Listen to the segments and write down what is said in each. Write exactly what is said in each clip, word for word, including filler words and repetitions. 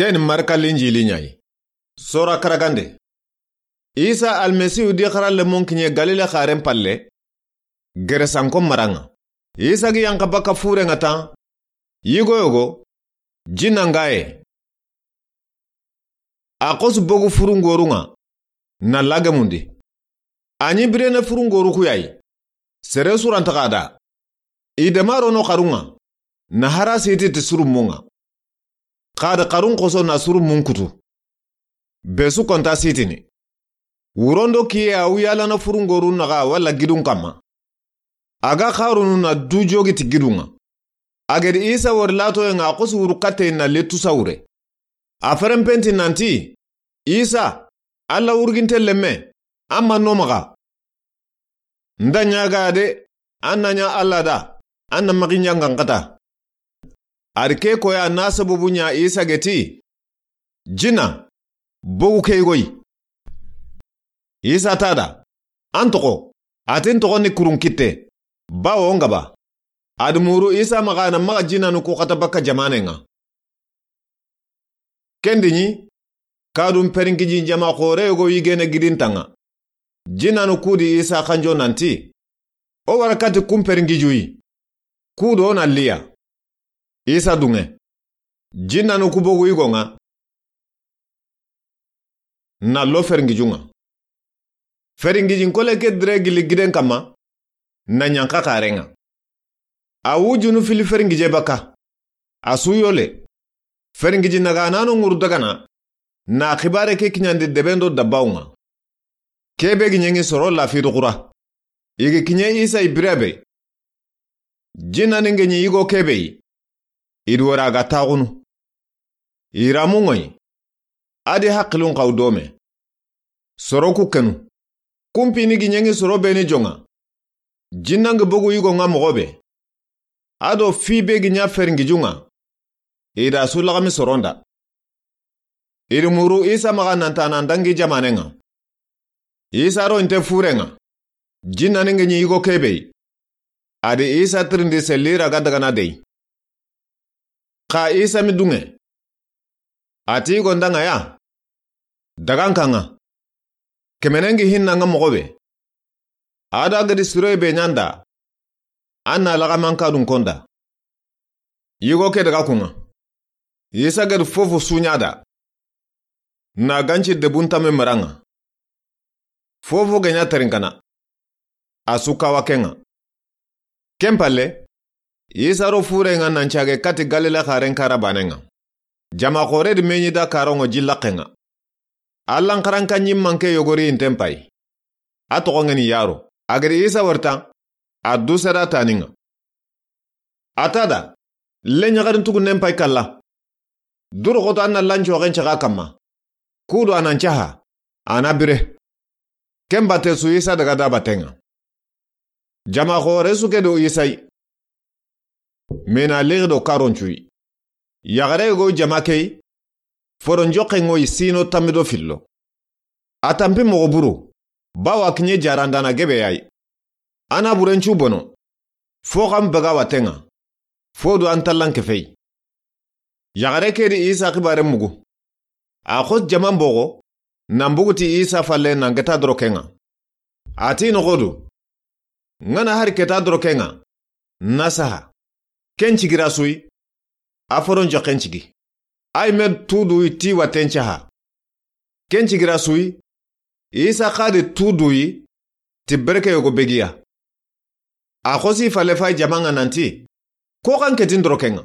Ken Marka Linjili ɲa yi. Sora karagande. Isa Almasihu di xara lemon kiɲe Galile xaren palle, Geresanko maranŋa. Isa gi yanqa baka furenŋa tan, yigo yogo, jinna ŋa ye. A xosu bogu furungorunŋa, na lagemundi. A ɲi birene furungoru ku ya yi. Sere su ra nta xa da. I dema ro no xarunŋa, na hara siti ti surumunŋa. Xa da xarun xoso na surumun kutu. Be su konta sitini. Wurondo kiye a wuyalana furungoru naxa walla gidun kamma. A ga xarunu na du jogi ti gidunŋa. A gedi Isa wori latoyenŋa a xosu wuru katte na letu sawure. A ferenpenti nanti, Isa, Alla wurginte lemme, an ma no maxa. Nda ɲaga de, an na ɲa Alla da, an na maxi ɲangan xata. A di ke koya na sababu ɲa Isa geti, jinna, bogu ke yigo yi. Isa ta da, an toxo, a ti n toxo ni kurun kitte, bawo n gaba. A di muru Isa maxa na maxa jinnanu ku xata baka jamanenŋa. Kendi ɲi, kadun peringiji jama xore yogo yigene gidintanŋa. Jinnanu ku di Isa xanjo nanti, o wara kati kun peringijuyi. Ku do na liya. Isa dunŋe. Jinnanu ku bogu yigonŋa, na lo feringijunŋa. Feringijin kole ke dire gili giden kamma, na ɲanqa xarenŋa. A wujunu fili feringije baka. A su yole. Feringiji naga nano ŋuru dagana, na xibare ke kiɲandi debendo dabbawunŋa. Kebe gi ɲengi soro lafidu xura. I gi kiɲe Isa i birabe. Jinnani nge ɲi yigo kebe yi. I di wara ga taxunu. I ramu ŋoyi. A di haqilun xaw dome. Soro ku kenu. Kumpini gi ɲengi soro beni jonŋa. Jinnangi bogu yigonŋa moxo be. A do fi be gi ɲa feringijunŋa. I da su laxami soronda. I di muru Isa maxa nanta nan dangi jamanenŋa. Isa ro inte furenŋa. Jinnani nge ɲi yigo kebe yi. A di Isa tirindi selli ra ga dagana dey. Xa Isa mi dunŋe. A ti yigondanŋa ya. Dagankanŋa. Kemenengi hinnanŋa moxo be. A da gedi siroye be ɲanda. An na laxamanka dun konda. Yigo ke daga kunŋa. Isa gedi fofo suɲa da. Na ganci debun tame maranŋa. Fofo ge ɲa terinkana. A su kawa kenŋa. Ken palle, Isa ro furenŋa nan cage kati Galile xaren kara banenŋa. Jama xore di meɲi da karonŋo jillaxenŋa. Allan xaranka ɲimmanke yogori inten pay. A toxo ngeni yaro. A gedi Isa wori tan, a du sera taninŋa. A ta da, le ɲaxarin tugunnen pay kalla. Duru xoto an na lancoxen caxa kamma. Kudu a nan caxa, a na bire. Ken bate su Isa daga da batenŋa. Jama xore su ke do Isa yi. Mena lixi do karoncuyi. Yaxare go jama key. Foron joxe ŋoyi sino tammi do fillo. A tampi moxo buru. Bawa kiɲe jarandana gebe yayi. A na burencu bono. Fo xam baga watenŋa. Fo du an tallan kefey. Yaxare ke di Isa xibare mugu. A xos jaman boxo, nan buguti Isa falle nan geta doro kenŋa. A ti noxodu. Ŋana hari keta doro kenŋa. Na saha. Ken cigira suyi. A foron joxen cigi. Ay me tuduyi ti waten caha. Ken cigira suyi. Isa xadi tuduyi. Ti berke yogo begiya. A xosi falle fay jamanŋa nanti. Ko xan ketin doro kenŋa.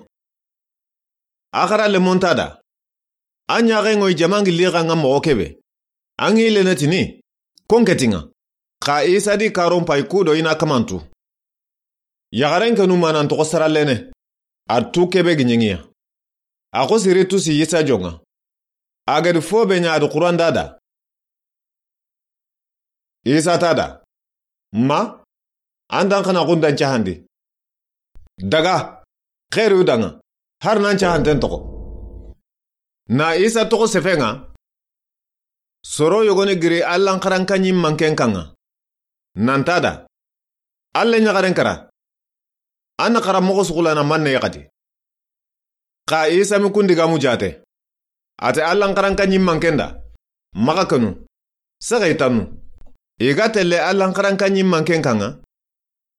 A xara lemonta da. A ɲaxenŋoyi jamangi lixanŋa moxo kebe. An ŋi lenetini. Kon ketinŋa. Xa Isa di karon pay kudo ina kamantu. Yaxaren kenu manan toxo saralene. A tu kebe gi ɲenŋiya. A xo siri tusi Isa jonŋa. A gedi fo be ɲa a di xuranda da. Isa ta da. Ma, an dan xana xundan cahandi. Daga, xeru danŋa, har nan cahanten toxo. Na Isa toxo sefenŋa. Soro yogoni giri Allan xaranka ɲimmanken kanŋa. Nanta da. Alla ɲaxaren kara. An na xara moxo suxulana manne yaxati. Xa Isa mi kundi gamu jate. A ti Allan xaranka ɲimmanken da, maxa kenu, sexey tannu. I ga telle Allan xaranka ɲimmanken kanŋa,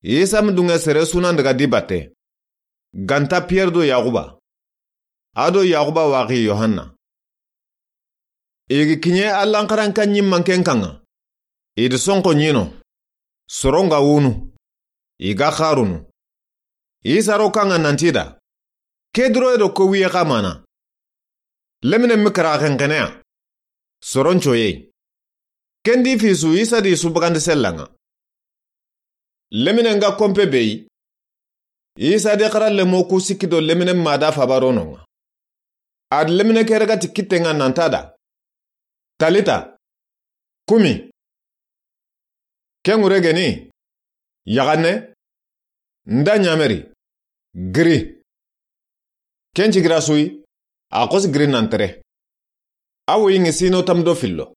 Isa ma dunŋe sere sunan daga di batte, ganta Piyer do Yaxuba, a do Yaxuba waxi Yohanna. I gi kiɲe Allan xaranka ɲimmanken kanŋa, i di sonxo ɲino, soron ga wunu, i ga xarunu. Isa ro kanŋa nanti da, ke duroye do ko wiye xa mana. Lemine mi kara xenxeneya, soron coyey. Ken di fisu Isa di su bagandi sellanŋa. Leminen ga konpe be yi, Isa di xara lemo ku sikki do leminen ma da faba rononŋa. A di lemine ke raga ti kittenŋa nanta da, Talita, kumi. Ken ŋure geni, yaxanne, nda ɲameri, giri. Ken cigira suyi, a xosi giri nan tere. A woyi ŋi sino tam do fillo.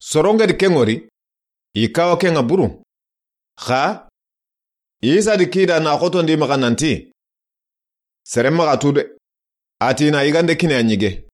Soronŋe di ken ŋori, i kawa kenŋa buru. Xa, Isa di kida na xotondi maxa nanti, sere maxa tu de. A ti na yigande kine a ɲige.